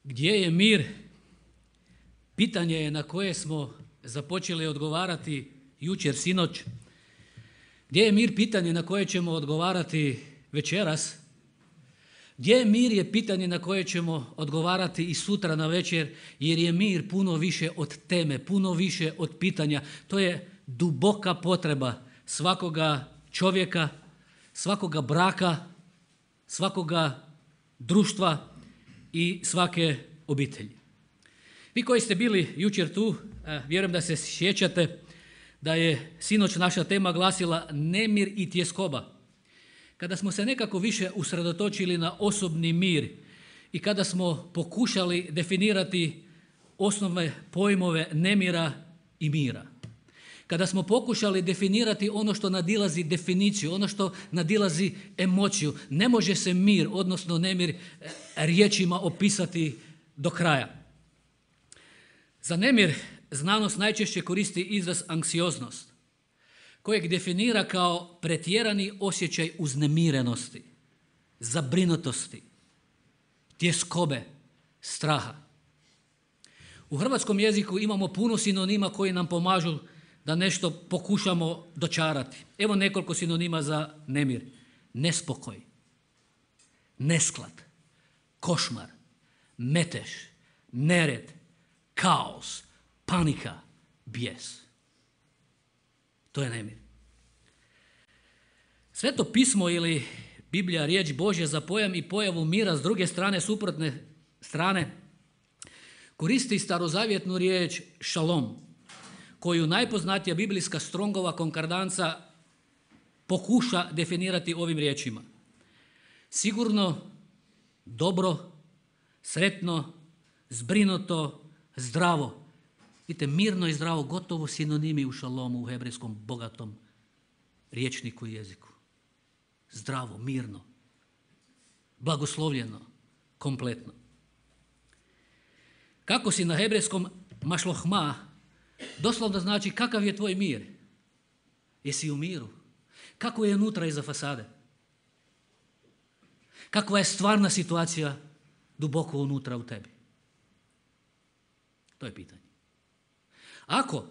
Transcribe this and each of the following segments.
Gdje je mir? Pitanje je na koje smo započeli odgovarati jučer, sinoć. Gdje je mir? Pitanje na koje ćemo odgovarati večeras. Gdje je mir je pitanje na koje ćemo odgovarati i sutra na večer, jer je mir puno više od teme, puno više od pitanja. To je duboka potreba svakoga čovjeka, svakoga braka, svakoga društva i svake obitelji. Vi koji ste bili jučer tu, vjerujem da se sjećate da je sinoć naša tema glasila nemir i tjeskoba. Kada smo se nekako više usredotočili na osobni mir i kada smo pokušali definirati osnovne pojmove nemira i mira. Kada smo pokušali definirati ono što nadilazi definiciju, ono što nadilazi emociju, ne može se mir, odnosno nemir, riječima opisati do kraja. Za nemir znanost najčešće koristi izraz anksioznost, kojeg definira kao pretjerani osjećaj uznemirenosti, zabrinutosti, tjeskobe, straha. U hrvatskom jeziku imamo puno sinonima koji nam pomažu da nešto pokušamo dočarati. Evo nekoliko sinonima za nemir. Nespokoj, nesklad, košmar, metež, nered, kaos, panika, bijes. To je nemir. Sveto pismo ili Biblija, riječ Božja za pojam i pojavu mira s druge strane, suprotne strane, koristi starozavjetnu riječ šalom, koju najpoznatija biblijska Strongova konkordanca pokuša definirati ovim riječima. Sigurno, dobro, sretno, zbrinuto, zdravo. Vidite, mirno i zdravo, gotovo sinonimi u šalomu, u hebrejskom bogatom riječniku i jeziku. Zdravo, mirno, blagoslovljeno, kompletno. Kako si na hebrejskom mašlohma, doslovno znači kakav je tvoj mir? Jesi u miru? Kako je unutra iza fasade? Kakva je stvarna situacija duboko unutra u tebi? To je pitanje. Ako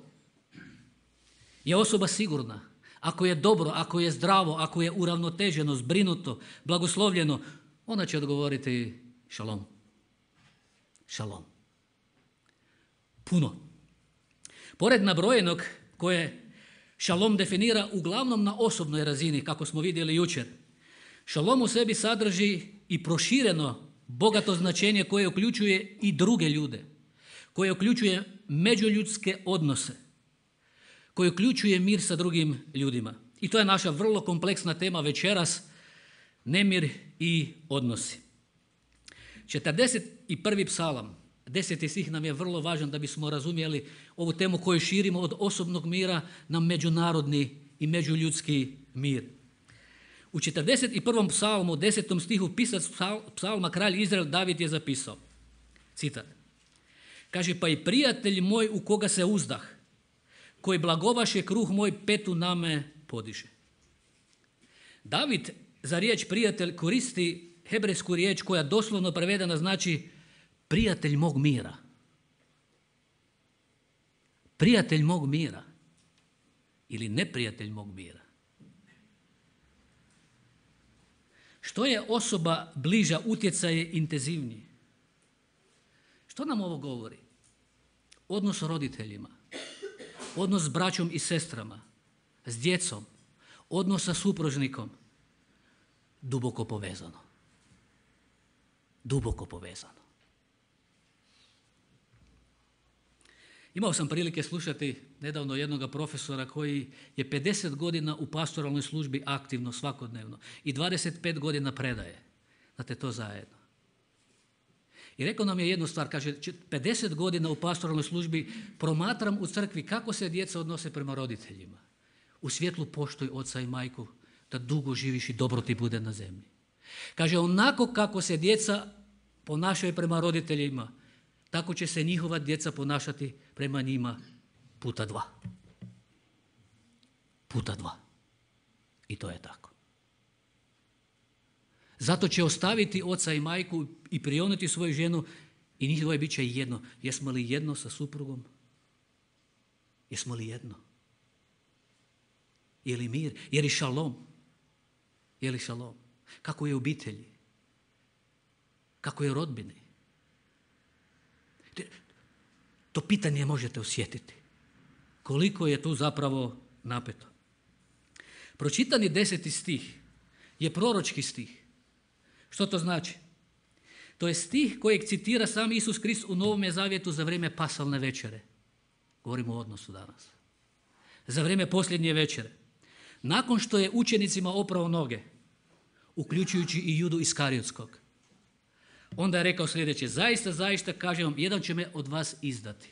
je osoba sigurna, ako je dobro, ako je zdravo, ako je uravnoteženo, zbrinuto, blagoslovljeno, ona će odgovoriti šalom. Šalom. Puno. Pored nabrojenog koje šalom definira uglavnom na osobnoj razini, kako smo vidjeli jučer, šalom u sebi sadrži i prošireno bogato značenje koje uključuje i druge ljude, koje uključuje međuljudske odnose, koje uključuje mir sa drugim ljudima. I to je naša vrlo kompleksna tema večeras, nemir i odnosi. 41. psalam, 10. stih nam je vrlo važan da bismo razumjeli ovu temu koju širimo od osobnog mira na međunarodni i međuljudski mir. U 41. psalmu, 10. stihu, pisac psalma, kralj Izrael David je zapisao, citat, kaže, pa i prijatelj moj u koga se uzdah, koji blagovaše kruh moj, petu na me podiže. David za riječ prijatelj koristi hebrejsku riječ koja doslovno prevedena znači prijatelj mog mira. Prijatelj mog mira ili neprijatelj mog mira. Što je osoba bliža, utjecaj je intenzivniji. Što nam ovo govori? Odnos s roditeljima, odnos s braćom i sestrama, s djecom, odnos sa supružnikom, duboko povezano. Duboko povezano. Imao sam prilike slušati nedavno jednog profesora koji je 50 godina u pastoralnoj službi aktivno, svakodnevno i 25 godina predaje. Znate, to zajedno. I rekao nam je jednu stvar, kaže, 50 godina u pastoralnoj službi promatram u crkvi kako se djeca odnose prema roditeljima. U svjetlu poštuj oca i majku da dugo živiš i dobro ti bude na zemlji. Kaže, onako kako se djeca ponašaju prema roditeljima, tako će se njihova djeca ponašati prema njima puta 2. Puta 2. I to je tako. Zato će ostaviti oca i majku i prionuti svoju ženu I njihovo bit će jedno. Jesmo li jedno sa suprugom? Jesmo li jedno? Je li mir? Je li šalom? Je li šalom? Kako je u obitelji? Kako je u rodbini? To pitanje možete osjetiti. Koliko je tu zapravo napeto. Pročitani 10. stih je proročki stih. Što to znači? To je stih kojeg citira sam Isus Krist u Novome zavjetu za vrijeme pasalne večere. Govorimo o odnosu danas. Za vrijeme posljednje večere. Nakon što je učenicima oprao noge, uključujući i Judu Iskariotskog, onda je rekao sljedeće: zaista, zaista kažem vam, jedan će me od vas izdati.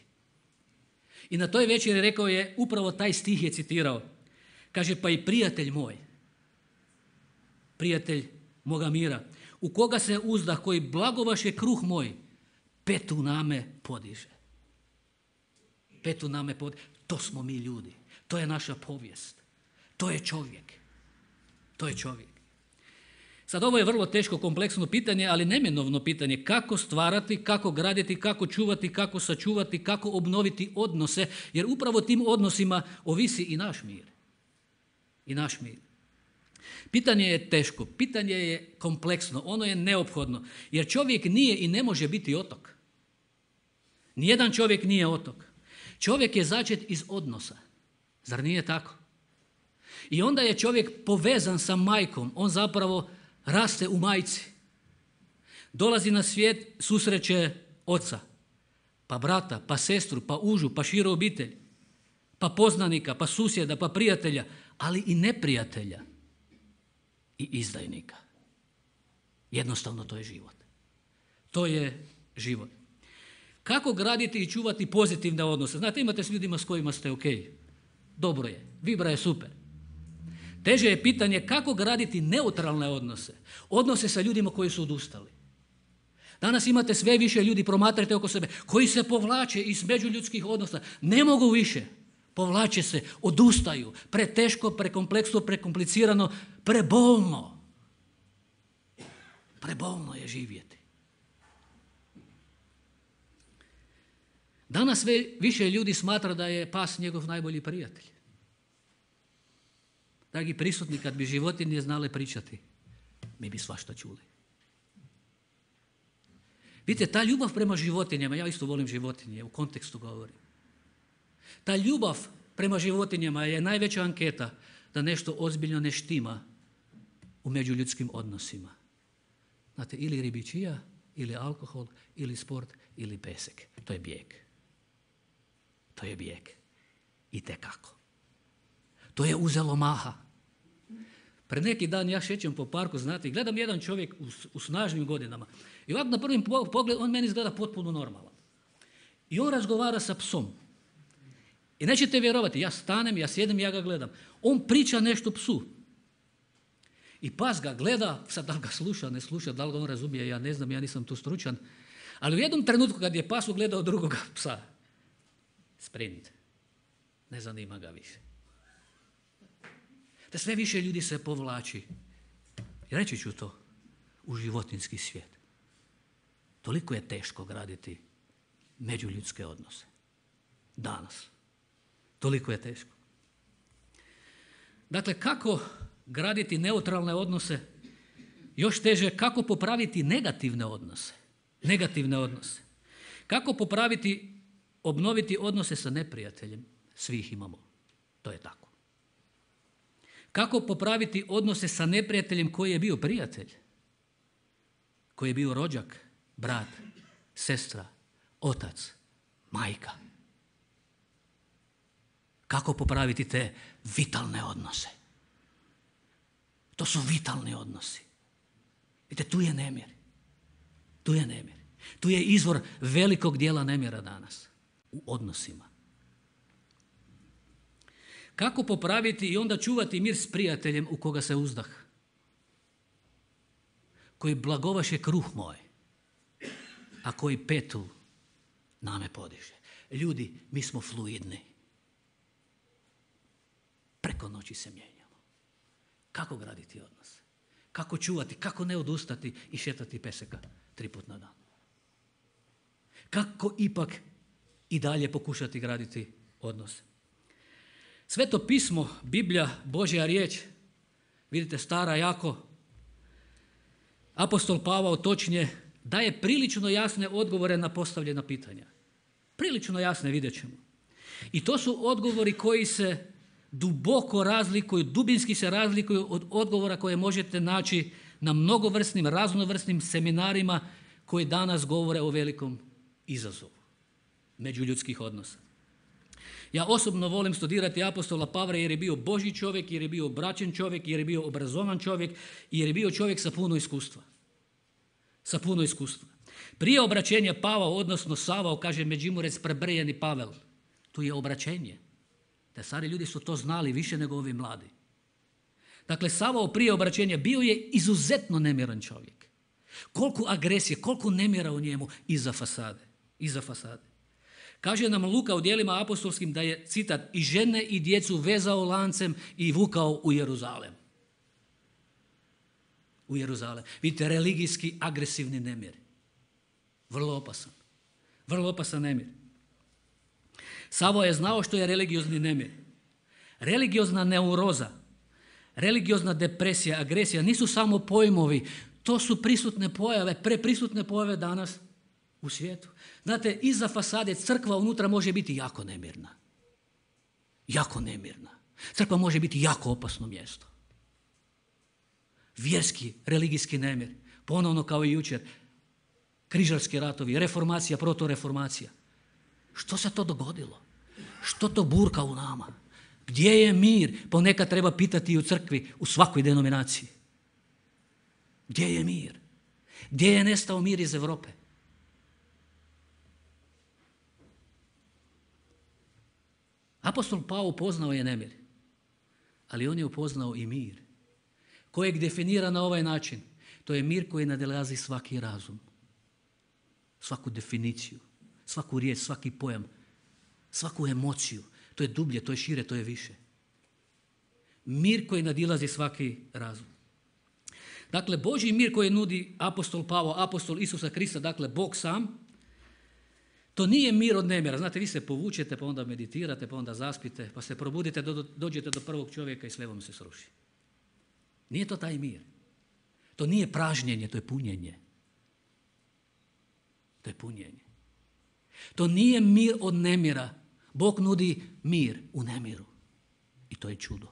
I na toj večeri rekao je, upravo taj stih je citirao. Kaže, pa i prijatelj moj, prijatelj moga mira, u koga se uzdah, koji blagovaše kruh moj, petu name podiže. Petu name podiže. To smo mi ljudi. To je naša povijest. To je čovjek. To je čovjek. Sad ovo je vrlo teško, kompleksno pitanje, ali neminovno pitanje. Kako stvarati, kako graditi, kako čuvati, kako sačuvati, kako obnoviti odnose, jer upravo tim odnosima ovisi i naš mir. I naš mir. Pitanje je teško, pitanje je kompleksno, ono je neophodno, jer čovjek nije i ne može biti otok. Nijedan čovjek nije otok. Čovjek je začet iz odnosa. Zar nije tako? I onda je čovjek povezan sa majkom, on zapravo raste u majci. Dolazi na svijet, susreće oca, pa brata, pa sestru, pa užu, pa širu obitelj, pa poznanika, pa susjeda, pa prijatelja, ali i neprijatelja i izdajnika. Jednostavno to je život. To je život. Kako graditi i čuvati pozitivne odnose? Znate, imate s ljudima s kojima ste ok. Dobro je, vibra je super. Teže je pitanje kako graditi neutralne odnose. Odnose sa ljudima koji su odustali. Danas imate sve više ljudi, promatrajte oko sebe, koji se povlače iz međuljudskih odnosa. Ne mogu više. Povlače se, odustaju. Preteško, prekompleksno, prekomplicirano, prebolno. Prebolno je živjeti. Danas sve više ljudi smatra da je pas njegov najbolji prijatelj. Dragi prisutni, kad bi životinje znale pričati, mi bi svašta čuli. Vidite, ta ljubav prema životinjama, ja isto volim životinje, u kontekstu govorim. Ta ljubav prema životinjama je najveća anketa da nešto ozbiljno ne štima u međuljudskim odnosima. Znate, ili ribičija, ili alkohol, ili sport, ili pesek. To je bijeg. To je bijeg. Itekako. To je uzelo maha. Pred neki dan ja šećem po parku, znate, i gledam jedan čovjek u snažnim godinama. I ovako na prvim pogled on meni izgleda potpuno normalan. I on razgovara sa psom. I nećete vjerovati, ja stanem, ja sjedim, ja ga gledam. On priča nešto psu. I pas ga gleda, sad da li ga sluša, ne sluša, da li ga on razumije, ja ne znam, ja nisam tu stručan. Ali u jednom trenutku kad je pas ugledao drugoga psa, sprint, ne zanima ga više. Da sve više ljudi se povlači, i reći ću to, u životinjski svijet. Toliko je teško graditi međuljudske odnose. Danas. Toliko je teško. Dakle, kako graditi neutralne odnose? Još teže, kako popraviti negativne odnose? Negativne odnose. Kako popraviti, obnoviti odnose sa neprijateljem? Svi ih imamo. To je tako. Kako popraviti odnose sa neprijateljem koji je bio prijatelj? Koji je bio rođak, brat, sestra, otac, majka? Kako popraviti te vitalne odnose? To su vitalni odnosi. Vidite, tu je nemir. Tu je nemir. Tu je izvor velikog dijela nemira danas. U odnosima. Kako popraviti i onda čuvati mir s prijateljem u koga se uzdah? Koji blagovaše kruh moj, a koji petu name podiže. Ljudi, mi smo fluidni. Preko noći se mijenjamo. Kako graditi odnos? Kako čuvati, kako ne odustati i šetati peseka 3 puta na dan? kako ipak i dalje pokušati graditi odnose. Sveto pismo, Biblija, Božja riječ, vidite, stara jako, apostol Pavao točnije daje prilično jasne odgovore na postavljena pitanja. Prilično jasne, vidjet ćemo. I to su odgovori koji se duboko razlikuju, dubinski se razlikuju od odgovora koje možete naći na mnogovrsnim, raznovrsnim seminarima koji danas govore o velikom izazovu međuljudskih odnosa. Ja osobno volim studirati apostola Pavla jer je bio Božji čovjek, jer je bio braćen čovjek, jer je bio obrazovan čovjek, jer je bio čovjek sa puno iskustva. Sa puno iskustva. Prije obraćenja Pavao, odnosno Savao, kaže Međimurec, prebrjeni Pavel. Tu je obraćenje. Te stari ljudi su to znali više nego ovi mladi. Dakle, Savao prije obraćenja bio je izuzetno nemiran čovjek. Koliko agresije, koliko nemira u njemu iza fasade. Iza fasade. Kaže nam Luka u djelima apostolskim da je, citat, i žene i djecu vezao lancem i vukao u Jeruzalem. U Jeruzalem. Vidite, religijski agresivni nemir. Vrlo opasan. Vrlo opasan nemir. Savao je znao što je religiozni nemir. Religiozna neuroza, religiozna depresija, agresija nisu samo pojmovi, to su prisutne pojave, preprisutne pojave danas u svijetu. Znate, iza fasade crkva unutra može biti jako nemirna. Jako nemirna. Crkva može biti jako opasno mjesto. Vjerski, religijski nemir. Ponovno kao i jučer. Križarski ratovi, reformacija, protoreformacija. Što se to dogodilo? Što to burka u nama? Gdje je mir? Ponekad treba pitati i u crkvi, u svakoj denominaciji. Gdje je mir? Gdje je nestao mir iz Europe? Apostol Pavao upoznao je nemir, ali on je upoznao i mir, kojeg definira na ovaj način. To je mir koji nadilazi svaki razum, svaku definiciju, svaku riječ, svaki pojam, svaku emociju. To je dublje, to je šire, to je više. Mir koji nadilazi svaki razum. Dakle, Božji mir koji nudi apostol Pavao, apostol Isusa Krista, dakle Bog sam, to nije mir od nemira. Znate, vi se povučete, pa onda meditirate, pa onda zaspite, pa se probudite, dođete do prvog čovjeka i sve vam se sruši. Nije to taj mir. To nije pražnjenje, to je punjenje. To je punjenje. To nije mir od nemira. Bog nudi mir u nemiru. I to je čudo.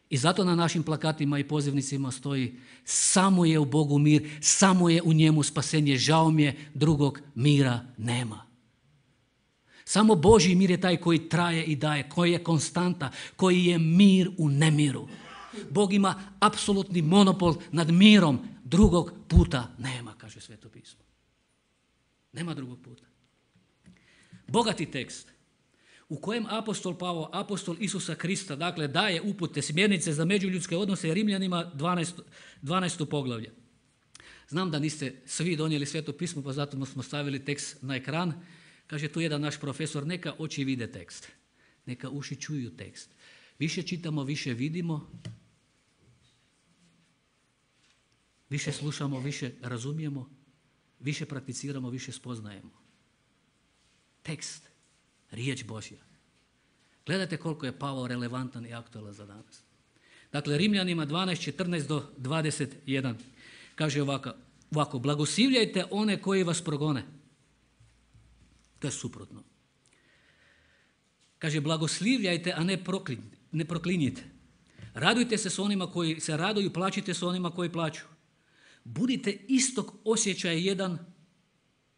I zato na našim plakatima i pozivnicima stoji: samo je u Bogu mir, samo je u njemu spasenje, žao mi je, drugog mira nema. Samo Božji mir je taj koji traje i daje, koji je konstanta, koji je mir u nemiru. Bog ima apsolutni monopol nad mirom, drugog puta nema, kaže Sveto pismo. Nema drugog puta. Bogati tekst u kojem apostol Pavao, apostol Isusa Krista, dakle daje upute, smjernice za međuljudske odnose Rimljanima 12. poglavlje. Znam da niste svi donijeli Sveto pismo, pa zato smo stavili tekst na ekran. Kaže tu jedan naš profesor: neka oči vide tekst, neka uši čuju tekst. Više čitamo, više vidimo, više slušamo, više razumijemo, više prakticiramo, više spoznajemo. Tekst, riječ Božja. Gledajte koliko je Pavao relevantan i aktualan za danas. Dakle, Rimljanima 12:14 do 21 kaže ovako: blagoslivljajte one koji vas progone. To je suprotno. Kaže, blagoslivljajte, a ne proklinjite. Radujte se s onima koji se raduju, plačite s onima koji plaču. Budite istog osjećaja jedan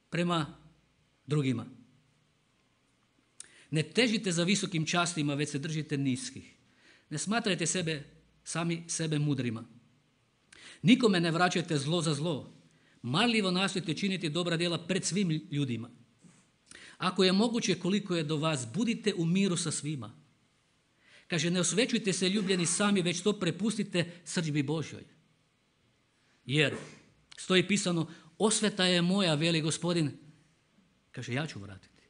prema drugima. Ne težite za visokim častima, već se držite niskih. Ne smatrajte sami sebe mudrima. Nikome ne vraćajte zlo za zlo. Marljivo nastojte činiti dobra djela pred svim ljudima. Ako je moguće, koliko je do vas, budite u miru sa svima. Kaže, ne osvećujte se ljubljeni sami, već to prepustite srdžbi Božjoj. Jer, stoji pisano, osveta je moja, veli Gospodin. Kaže, ja ću vratiti.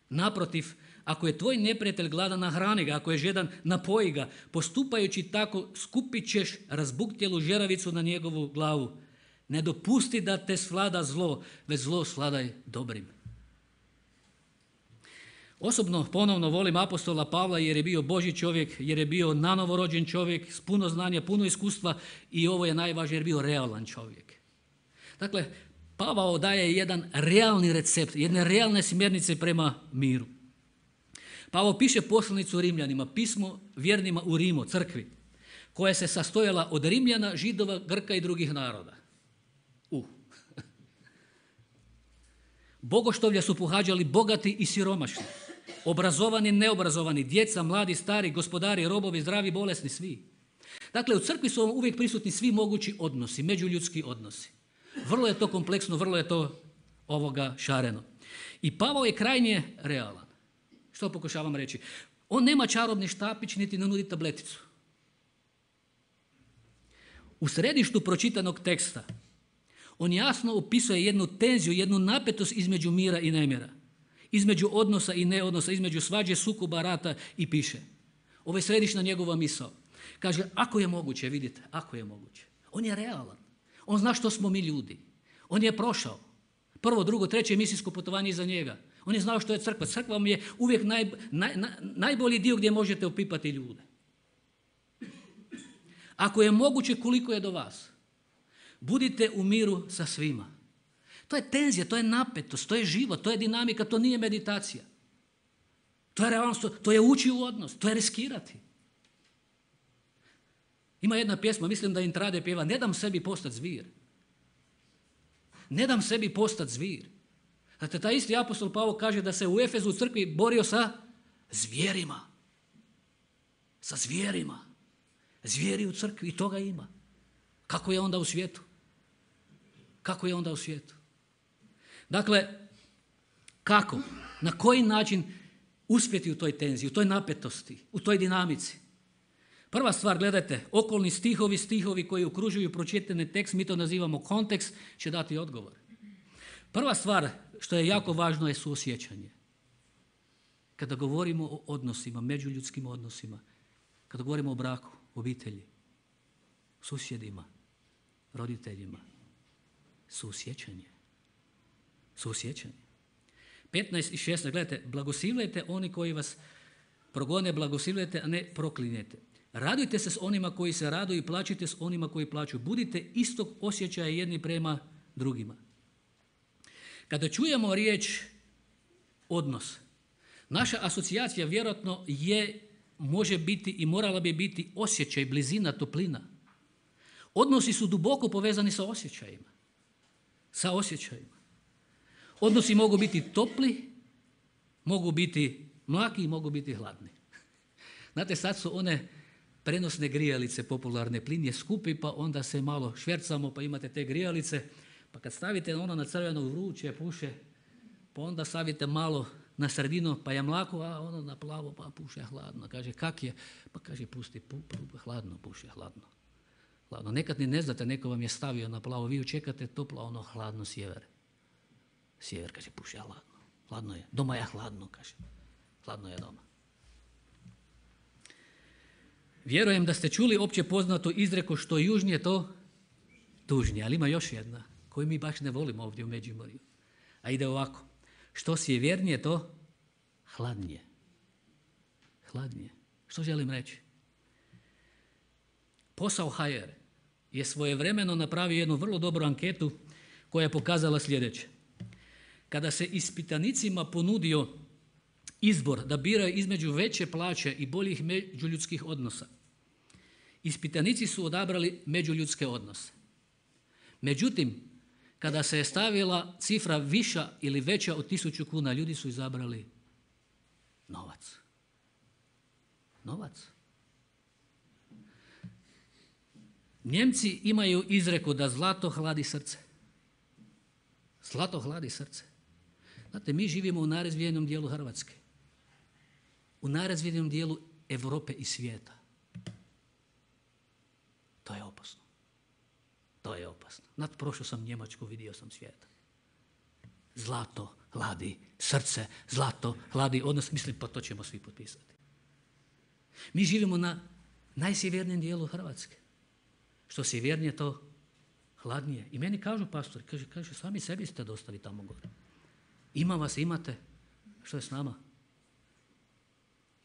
Naprotiv, ako je tvoj neprijatelj gladan, nahrani ga, ako je žedan, napoji ga. Postupajući tako, skupit ćeš razbuktjelu žeravicu na njegovu glavu. Ne dopusti da te svlada zlo, već zlo svladaj dobrim. Osobno ponovno volim apostola Pavla jer je bio Božji čovjek, jer je bio nanovo rođen čovjek s puno znanja, puno iskustva i ovo je najvažnije jer je bio realan čovjek. Dakle, Pavao daje jedan realni recept, jedne realne smjernice prema miru. Pavao piše poslanicu Rimljanima, pismo vjernima u Rimu, crkvi, koja se sastojala od Rimljana, Židova, Grka i drugih naroda. Bogoštovlja su pohađali bogati i siromašni, obrazovani, neobrazovani, djeca, mladi, stari, gospodari, robovi, zdravi, bolesni, svi. Dakle, u crkvi su uvijek prisutni svi mogući odnosi, međuljudski odnosi. Vrlo je to kompleksno, vrlo je to šareno. I Pavao je krajnje realan. Što pokušavam reći? On nema čarobni štapić niti ne nudi tableticu. U središtu pročitanog teksta on jasno opisuje jednu tenziju, jednu napetost između mira i nemira, između odnosa i neodnosa, između svađe, sukoba, rata i piše. Ovo je središnja njegova misao. Kaže, ako je moguće, vidite, ako je moguće. On je realan. On zna što smo mi ljudi. On je prošao. Prvo, drugo, treće misijsko putovanje iza njega. On je znao što je crkva. Crkva vam je uvijek najbolji dio gdje možete opipati ljude. Ako je moguće, koliko je do vas. Budite u miru sa svima. To je tenzija, to je napetost, to je život, to je dinamika, to nije meditacija. To je realnost, to je ući u odnos, to je riskirati. Ima jedna pjesma, mislim da Intrade pjeva, ne dam sebi postati zvir. Ne dam sebi postati zvir. Znate, taj isti apostol Pavao kaže da se u Efezu u crkvi borio sa zvjerima. Sa zvjerima. Zvijeri u crkvi i toga ima. Kako je onda u svijetu? Kako je onda u svijetu? Dakle, kako? Na koji način uspjeti u toj tenziji, u toj napetosti, u toj dinamici? Prva stvar, gledajte, okolni stihovi koji okružuju pročitani tekst, mi to nazivamo kontekst, će dati odgovor. Prva stvar što je jako važno je suosjećanje. Kada govorimo o odnosima, međuljudskim odnosima, kada govorimo o braku, obitelji, susjedima, roditeljima, suosjećanje. Suosjećanje. 15 i 16, gledajte, blagoslivljajte oni koji vas progone, blagoslivljajte, a ne proklinjete. Radujte se s onima koji se raduju i plačite s onima koji plaću. Budite istog osjećaja jedni prema drugima. Kada čujemo riječ odnos, naša asocijacija vjerojatno može biti i morala bi biti osjećaj, blizina, toplina. Odnosi su duboko povezani sa osjećajima. Sa osjećajima. Odnosi mogu biti topli, mogu biti mlaki i mogu biti hladni. Znate, sad su one prenosne grijalice popularne, plin je skupi, pa onda se malo švercamo, pa imate te grijalice, pa kad stavite ono na crveno vruće, puše, pa onda stavite malo na sredinu, pa je mlako, a ono na plavo, pa puše hladno. Kaže, kak je? Pa kaže, pusti, hladno, puše hladno. Hladno. Nekad ni ne znate, neko vam je stavio na plavo, vi čekate toplo, ono hladno sjever. Sjever, kaže, puše hladno. Hladno je. Doma je hladno, kaže. Hladno je doma. Vjerujem da ste čuli opće poznato izreku što južnije to tužnije, ali ima još jedna koju mi baš ne volimo ovdje u Međimurju. A ide ovako. Što sjevernije to hladnije. Hladnije. Što želim reći? Posao HR je svojevremeno napravio jednu vrlo dobru anketu koja je pokazala sljedeće. Kada se ispitanicima ponudio izbor da biraju između veće plaće i boljih međuljudskih odnosa, ispitanici su odabrali međuljudske odnose. Međutim, kada se je stavila cifra viša ili veća od 1000 kuna, ljudi su izabrali novac. Novac. Njemci imaju izreku da zlato hladi srce. Zlato hladi srce. Znate, mi živimo u najrazvijenom dijelu Hrvatske. U najrazvijenom dijelu Europe i svijeta. To je opasno. To je opasno. Prošao sam Njemačku, vidio sam svijeta. Zlato hladi srce, zlato hladi odnos. Mislim, pa to ćemo svi potpisati. Mi živimo na najsjevernijem dijelu Hrvatske. Što sjevernije to hladnije. I meni kažu pastori, kaže, sami sebi ste dostali tamo gore. Ima vas, imate. Što je s nama?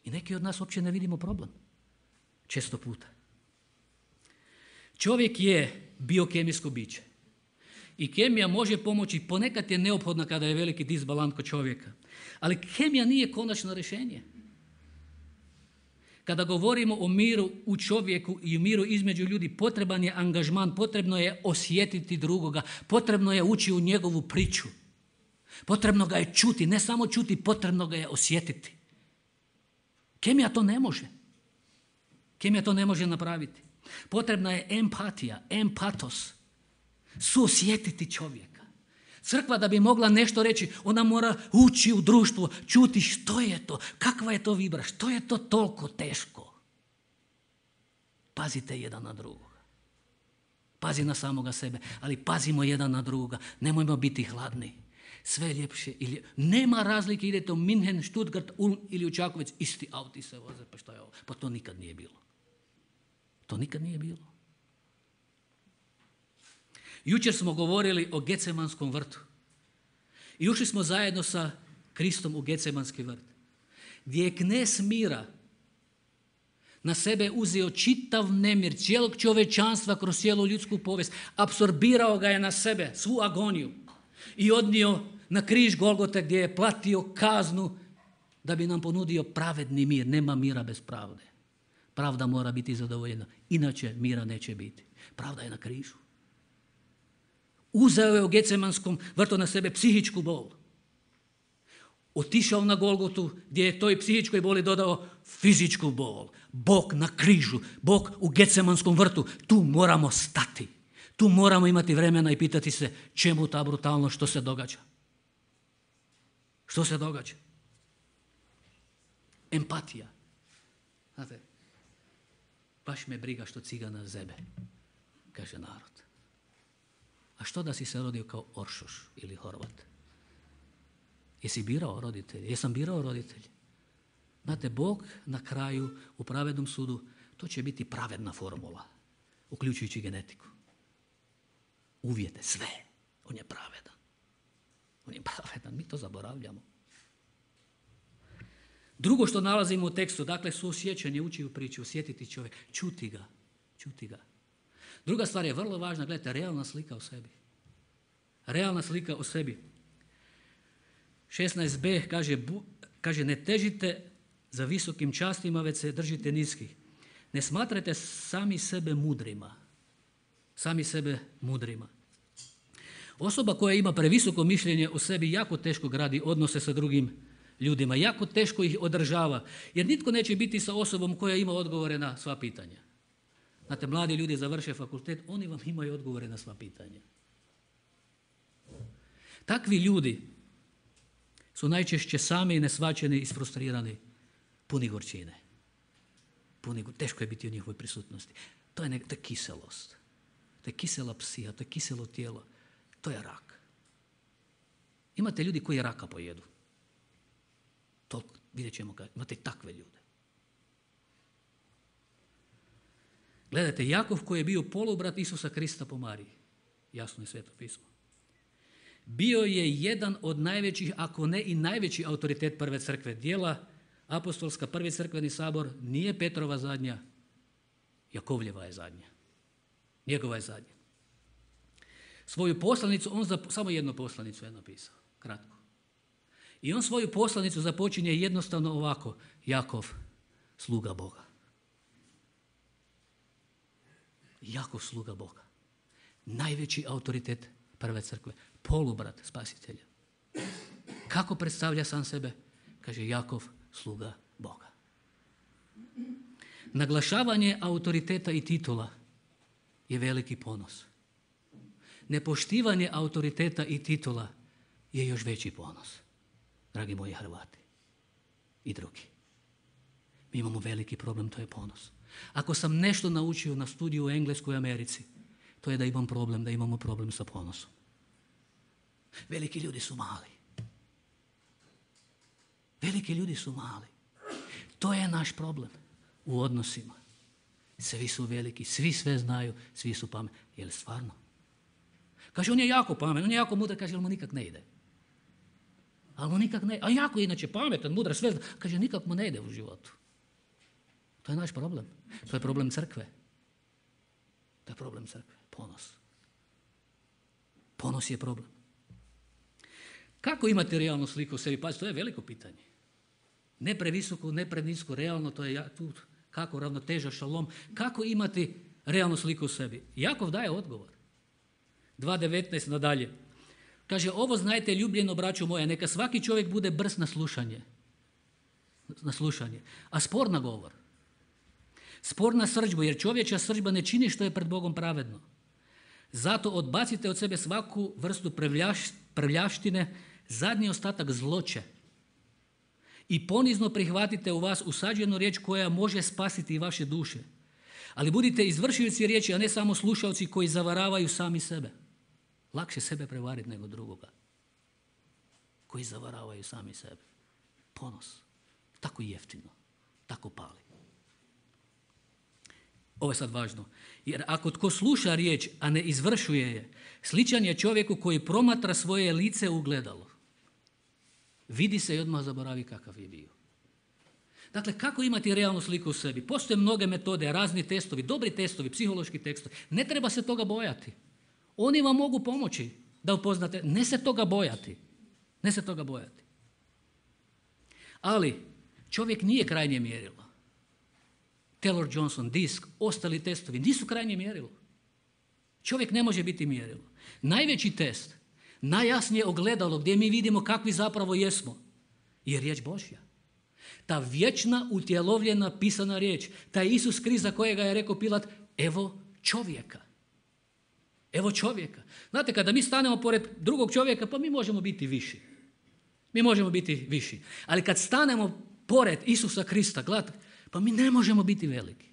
I neki od nas uopće ne vidimo problem. Često puta. Čovjek je biokemijsko biće. I kemija može pomoći, ponekad je neophodna kada je veliki disbalans kod čovjeka. Ali kemija nije konačno rješenje. Kada govorimo o miru u čovjeku i o miru između ljudi, potreban je angažman, potrebno je osjetiti drugoga, potrebno je ući u njegovu priču. Potrebno ga je čuti, ne samo čuti, potrebno ga je osjetiti. Kemija to ne može. Kemija to ne može napraviti. Potrebna je empatija, empatos, suosjetiti čovjeka. Crkva da bi mogla nešto reći, ona mora ući u društvo, čuti što je to, kakva je to vibra, što je to toliko teško. Pazite jedan na drugoga. Pazi na samoga sebe, ali pazimo jedan na drugoga. Nemojmo biti hladni. Sve je ljepše. Nema razlike, idete u Minhen, Stuttgart, Ulm ili u Čakovec, isti auti se voze, pa šta je ovo? Pa to nikad nije bilo. To nikad nije bilo. Jučer smo govorili o Gecemanskom vrtu. I ušli smo zajedno sa Kristom u Gecemanski vrt, gdje je knez mira na sebe uzeo čitav nemir cijelog čovječanstva kroz cijelu ljudsku povijest. Apsorbirao ga je na sebe, svu agoniju, i odnio na križ Golgote gdje je platio kaznu da bi nam ponudio pravedni mir. Nema mira bez pravde. Pravda mora biti zadovoljena, inače mira neće biti. Pravda je na križu. Uzeo je u Gecemanskom vrtu na sebe psihičku bol. Otišao na Golgotu gdje je toj psihičkoj boli dodao fizičku bol. Bog na križu, Bog u Gecemanskom vrtu. Tu moramo stati. Tu moramo imati vremena i pitati se čemu ta brutalnost, što se događa. Što se događa? Empatija. Znate, baš me briga što cigana zebe, kaže narod. A što da si se rodio kao Oršoš ili Horvat? Jesi birao roditelje? Jesam birao roditelje? Znate, Bog na kraju u pravednom sudu, to će biti pravedna formula, uključujući genetiku. Uvjete, sve. On je pravedan. On je pravedan, mi to zaboravljamo. Drugo što nalazimo u tekstu, dakle, suosjećanje, ući u priču, osjetiti čovjek, čuti ga. Druga stvar je vrlo važna, gledajte, realna slika o sebi. Realna slika o sebi. 16b kaže, ne težite za visokim častima, već se držite niskih. Ne smatrajte sami sebe mudrima. Sami sebe mudrima. Osoba koja ima previsoko mišljenje o sebi jako teško gradi odnose sa drugim ljudima. Jako teško ih održava. Jer nitko neće biti sa osobom koja ima odgovore na sva pitanja. Znate, mladi ljudi završe fakultet, oni vam imaju odgovore na sva pitanja. Takvi ljudi su najčešće sami neshvaćeni i isfrustrirani, puni gorčine. Teško je biti u njihovoj prisutnosti. To je kiselost. To je kisela psiha, to je kiselo tijelo. To je rak. Imate ljudi koji raka pojedu. Toliko, vidjet ćemo kad imate takve ljude. Gledajte, Jakov koji je bio polubrat Isusa Krista po Mariji, jasno je Sveto pismo, bio je jedan od najvećih, ako ne i najveći autoritet prve crkve. Djela apostolska, prvi crkveni sabor, nije Petrova zadnja, Jakovljeva je zadnja. Njegova je zadnja. Svoju poslanicu, samo jednu poslanicu je napisao, kratko. I on svoju poslanicu započinje jednostavno ovako: Jakov, sluga Boga. Jakov, sluga Boga. Najveći autoritet prve crkve, polubrat spasitelja. Kako predstavlja sam sebe? Kaže, Jakov, sluga Boga. Naglašavanje autoriteta i titula je veliki ponos. Nepoštivanje autoriteta i titula je još veći ponos, dragi moji Hrvati i drugi. Mi imamo veliki problem, to je ponos. Ako sam nešto naučio na studiju u Engleskoj Americi, to je da imamo problem sa ponosom. Veliki ljudi su mali. Veliki ljudi su mali. To je naš problem u odnosima. Svi su veliki, svi sve znaju, svi su pametni. Je li stvarno? Kaže, on je jako pametan, on je jako mudar, kaže, ali mu nikak ne ide. A jako je inače pametan, mudar, sve zna. Kaže, nikak mu ne ide u životu. To je naš problem. To je problem crkve. To je problem crkve. Ponos. Ponos je problem. Kako imate realnu sliku u sebi? Pazi, to je veliko pitanje. Ne previsoko, ne prenisko, realno, to je tu kako ravnoteža, šalom. Kako imati realnu sliku u sebi? Jakov daje odgovor. 2.19 nadalje. Kaže, ovo znajte, ljubljeno braćo moja, neka svaki čovjek bude brz na slušanje, a spor na govor. Spor na srdžbu, jer čovječa srdžba ne čini što je pred Bogom pravedno. Zato odbacite od sebe svaku vrstu prljavštine, zadnji ostatak zloće. I ponizno prihvatite u vas usađenu riječ koja može spasiti i vaše duše. Ali budite izvršioci riječi, a ne samo slušalci koji zavaravaju sami sebe. Lakše sebe prevariti nego drugoga. Koji zavaravaju sami sebe. Ponos. Tako jeftino. Tako pali. Ovo je sad važno. Jer ako tko sluša riječ, a ne izvršuje je, sličan je čovjeku koji promatra svoje lice u ogledalo. Vidi se i odmah zaboravi kakav je bio. Dakle, kako imati realnu sliku u sebi? Postoje mnoge metode, razni testovi, dobri testovi, psihološki testovi. Ne treba se toga bojati. Oni vam mogu pomoći da upoznate. Ne se toga bojati. Ne se toga bojati. Ali čovjek nije krajnje mjerilo. Taylor Johnson, DISC, ostali testovi nisu krajnje mjerilo. Čovjek ne može biti mjerilo. Najveći test, najjasnije ogledalo gdje mi vidimo kakvi zapravo jesmo, je riječ Božja. Ta vječna, utjelovljena, pisana riječ. Taj Isus Krist za kojega je rekao Pilat, evo čovjeka. Evo čovjeka. Znate, kada mi stanemo pored drugog čovjeka, pa mi možemo biti viši. Mi možemo biti viši. Ali kad stanemo pored Isusa Krista, gledajte, pa mi ne možemo biti veliki.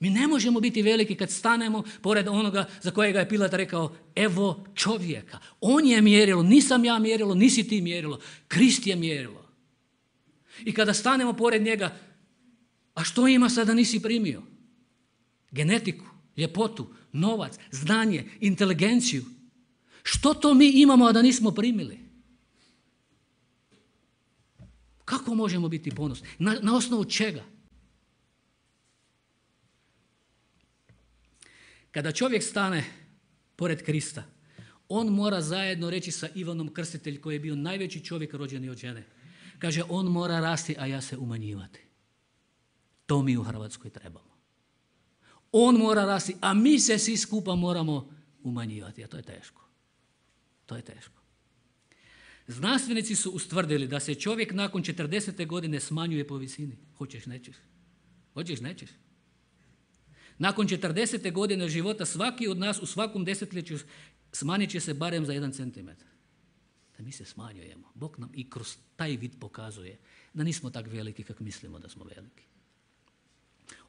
Mi ne možemo biti veliki kad stanemo pored onoga za kojega je Pilat rekao, evo čovjeka. On je mjerilo, nisam ja mjerilo, nisi ti mjerilo. Krist je mjerilo. I kada stanemo pored njega, a što ima sada nisi primio? Genetiku, ljepotu, novac, znanje, inteligenciju. Što to mi imamo, a da nismo primili? Kako možemo biti ponosni? Na osnovu čega? Kada čovjek stane pored Krista, on mora zajedno reći sa Ivanom Krstitelj, koji je bio najveći čovjek rođeni od žene. Kaže, on mora rasti, a ja se umanjivati. To mi u Hrvatskoj trebamo. On mora rasti, a mi se svi skupa moramo umanjivati. A to je teško. To je teško. Znanstvenici su ustvrdili da se čovjek nakon 40. godine smanjuje po visini. Hoćeš, nećeš. Hoćeš, nećeš. Nakon 40. godine života svaki od nas u svakom desetljeću smanjit će se barem za 1 centimetar. Da mi se smanjujemo. Bog nam i kroz taj vid pokazuje da nismo tak veliki kako mislimo da smo veliki.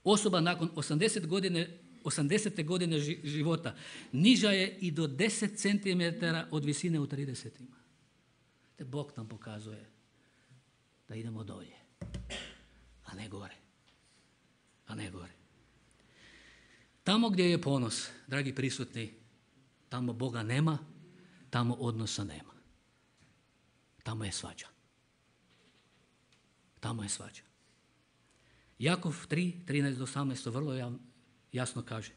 Osoba nakon 80. godine života niža je i do 10 centimetara od visine u 30-ima. Te Bog nam pokazuje da idemo dolje, a ne gore. A ne gore. Tamo gdje je ponos, dragi prisutni, tamo Boga nema, tamo odnosa nema. Tamo je svađa. Tamo je svađa. Jakov 3:13-18 vrlo jasno kaže.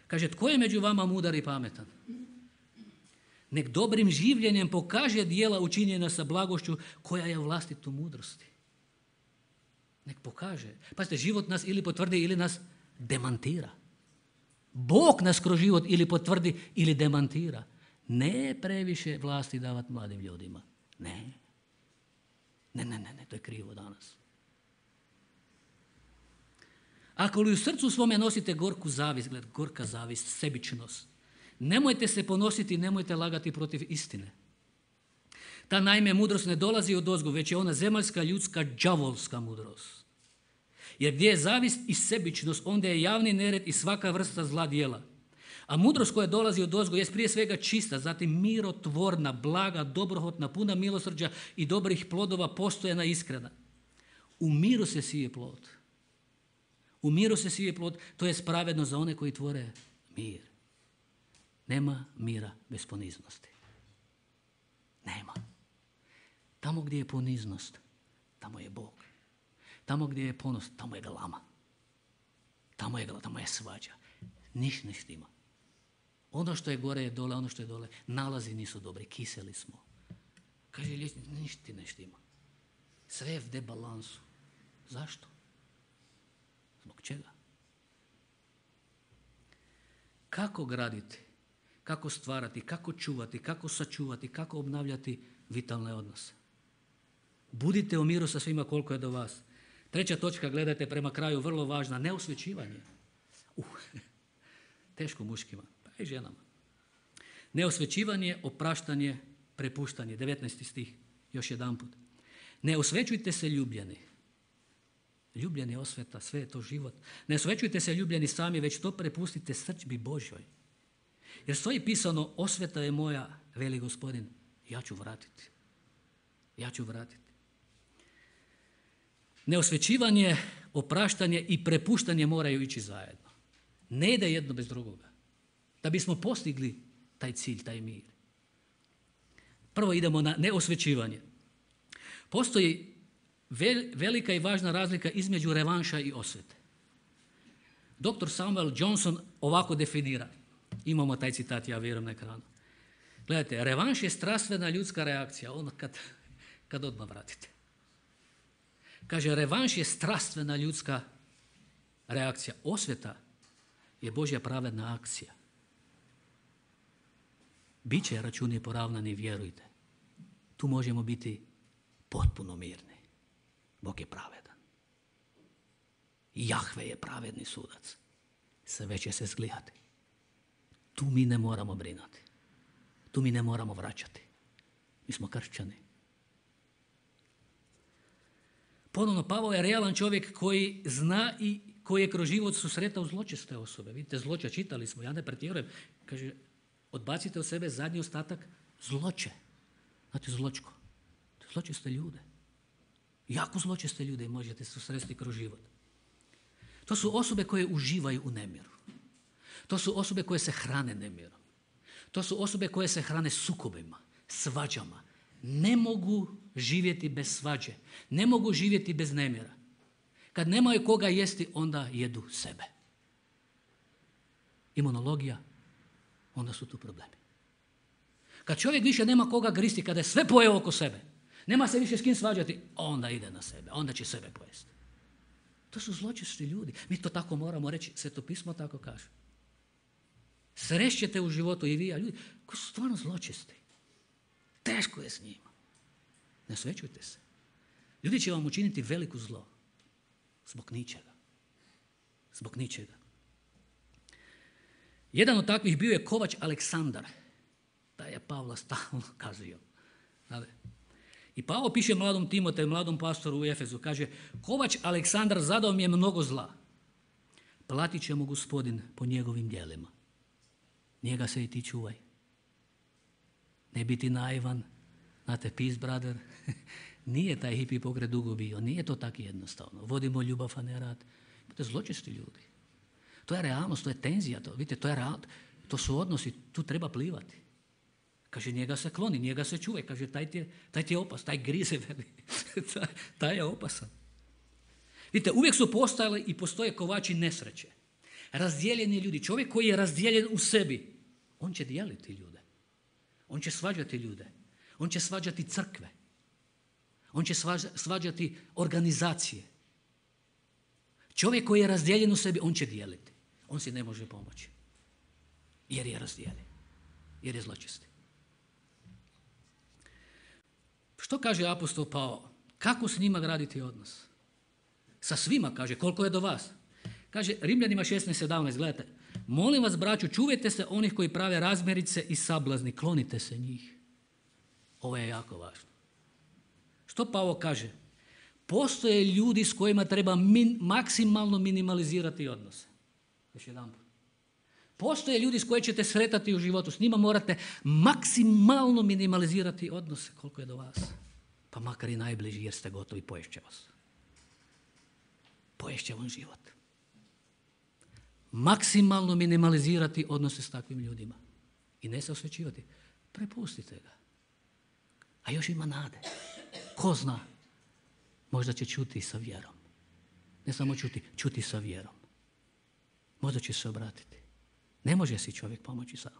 Kaže, tko je među vama mudar i pametan? Nek dobrim življenjem pokaže djela učinjena sa blagošću koja je u vlastitu mudrosti. Nek pokaže. Pazite, život nas ili potvrdi ili nas demantira. Bog nas kroz život ili potvrdi ili demantira. Ne previše vlasti davati mladim ljudima. Ne, to je krivo danas. Ako li u srcu svome nosite gorku zavist, gorka zavist, sebičnost, nemojte se ponositi, nemojte lagati protiv istine. Ta naime mudrost ne dolazi odozgo, već je ona zemaljska, ljudska, đavolska mudrost. Jer gdje je zavist i sebičnost, onda je javni nered i svaka vrsta zla djela. A mudrost koja dolazi odozgo je prije svega čista, zatim mirotvorna, blaga, dobrohotna, puna milosrđa i dobrih plodova, postojana, iskrena. U miru se sije plod. U miru se sije plod, to je pravedno za one koji tvore mir. Nema mira bez poniznosti. Nema. Tamo gdje je poniznost, tamo je Bog. Tamo gdje je ponos, tamo je galama. Tamo je svađa. Niš ne štima. Ono što je gore je dole, ono što je dole. Nalazi nisu dobri, kiseli smo. Kaže liječnik, ništa ti ne štima. Sve je v debalansu. Zašto? Zbog čega? Kako graditi, kako stvarati, kako čuvati, kako sačuvati, kako obnavljati vitalne odnose? Budite u miru sa svima koliko je do vas. 3. točka, gledajte prema kraju, vrlo važna, neosvećivanje. Teško muškima, pa i ženama. Neosvećivanje, opraštanje, prepuštanje. 19. stih, još jedanput. Ne osvećujte se ljubljeni. Ljubljen je osveta, sve je to život. Ne osvećujte se ljubljeni sami, već to prepustite srdžbi Božjoj. Jer stoji pisano, osveta je moja, veli Gospodin, ja ću vratiti. Ja ću vratiti. Neosvećivanje, opraštanje i prepuštanje moraju ići zajedno. Ne ide jedno bez drugoga. Da bismo postigli taj cilj, taj mir. Prvo idemo na neosvećivanje. Postoji velika i važna razlika između revanša i osvete. Dr. Samuel Johnson ovako definira. Imamo taj citat, ja vjerujem, na ekranu. Gledajte, revanš je strastvena ljudska reakcija, ono kad odmah vratite. Kaže, revanš je strastvena ljudska reakcija. Osveta je Božja pravedna akcija. Biće računi poravnani, vjerujte. Tu možemo biti potpuno mirni. Bog je pravedan. Jahve je pravedni sudac. Sve će se zglijati. Tu mi ne moramo brinuti. Tu mi ne moramo vraćati. Mi smo kršćani. Ponovno, Pavao je realan čovjek koji zna i koji je kroz život susretao zločeste osobe. Vidite, zloće, čitali smo, ja ne pretjerujem. Kaže, odbacite od sebe zadnji ostatak zloće. Znate, zločko. Zločeste ljude. Jako zločeste ljude možete susresti kroz život. To su osobe koje uživaju u nemiru. To su osobe koje se hrane nemirom. To su osobe koje se hrane sukobima, svađama. Ne mogu živjeti bez svađe. Ne mogu živjeti bez nemira. Kad nemaju koga jesti, onda jedu sebe. Imunologija, onda su tu problemi. Kad čovjek više nema koga gristi, kada je sve pojeo oko sebe, nema se više s kim svađati, onda ide na sebe, onda će sebe pojesti. To su zločesti ljudi. Mi to tako moramo reći, Sveto pismo tako kaže. Srećete u životu i vi, a ljudi koji su stvarno zločesti. Teško je s njima. Ne osvećujte se. Ljudi će vam učiniti veliko zlo. Zbog ničega. Zbog ničega. Jedan od takvih bio je Kovač Aleksandar. Da je Pavla stalno kazio. I Pavao piše mladom Timoteju, mladom pastoru u Efezu, kaže, Kovač Aleksandar zadao mi je mnogo zla. Platit će mu Gospodin po njegovim djelima. Njega se i ti čuvaj. Ne biti naivan, znate, peace brother, nije taj hipi pokret dugo bio, nije to tako jednostavno. Vodimo ljubav, a ne rad. Imate zločesti ljudi. To je realnost, to je tenzija, vidite, to je realnost, to su odnosi, tu treba plivati. Kaže, njega se kloni, njega se čuvaj, kaže, taj ti je opasan, taj grize, taj je opasan. Vidite, uvijek su postojali i postoje kovači nesreće. Razdijeljeni ljudi, čovjek koji je razdijeljen u sebi, on će dijeliti ljude. On će svađati ljude. On će svađati crkve. On će svađati organizacije. Čovjek koji je razdijeljen u sebi, on će dijeliti. On si ne može pomoći. Jer je razdijeljen. Jer je zločesti. Što kaže apostol Pavao? Kako s njima graditi odnos? Sa svima, kaže, koliko je do vas. Kaže, Rimljanima 16:17, gledajte. Molim vas, braću, čuvajte se onih koji prave razmirice i sablazni. Klonite se njih. Ovo je jako važno. Što Pavao kaže? Postoje ljudi s kojima treba maksimalno minimalizirati odnose. Još jedan put. Postoje ljudi s kojima ćete sretati u životu. S njima morate maksimalno minimalizirati odnose koliko je do vas. Pa makar i najbliži jer ste gotovi, poješće vas. Poješće vam život. Maksimalno minimalizirati odnose s takvim ljudima. i ne se osvećivati. Prepustite ga. A još ima nade. Ko zna, možda će čuti sa vjerom. Ne samo čuti sa vjerom. Možda će se obratiti. Ne može si čovjek pomoći sam.